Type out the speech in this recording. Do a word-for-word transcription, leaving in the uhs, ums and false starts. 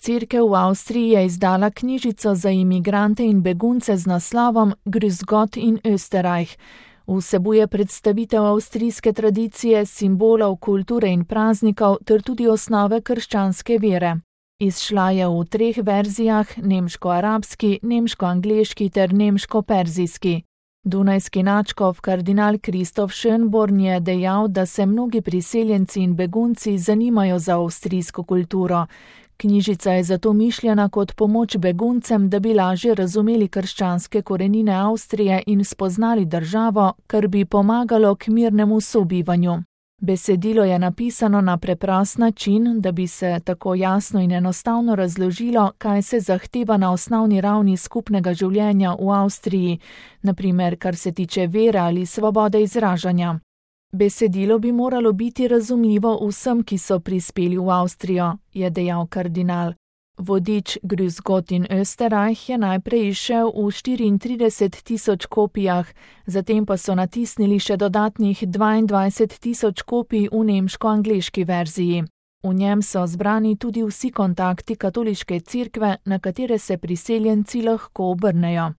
Cerkev v Avstriji je izdala knjižico za imigrante in begunce z naslovom Grüß Gott in Österreich. Vsebuje predstavitev avstrijske tradicije, simbolov, kulture in praznikov ter tudi osnove krščanske vere. Izšla je v treh verzijah, nemško-arabski, nemško-angleški ter nemško-perzijski. Dunajski nadškof kardinal Kristof Schönborn je dejal, da se mnogi priseljenci in begunci zanimajo za avstrijsko kulturo. Knjižica je zato mišljena kot pomoč beguncem, da bi lažje razumeli krščanske korenine Avstrije in spoznali državo, kar bi pomagalo k mirnemu sobivanju. Besedilo je napisano na preprost način, da bi se tako jasno in enostavno razložilo, kaj se zahteva na osnovni ravni skupnega življenja v Avstriji, na primer kar se tiče vere ali svobode izražanja. Besedilo bi moralo biti razumljivo vsem, ki so prispeli v Avstrijo, je dejal kardinal. Vodič Grüß Gott in Österreich je najprej izšel v štiriintrideset tisoč kopijah, zatem pa so natisnili še dodatnih dvaindvajset tisoč kopij v nemško-angleški verziji. V njem so zbrani tudi vsi kontakti katoliške cerkve, na katere se priseljenci lahko obrnejo.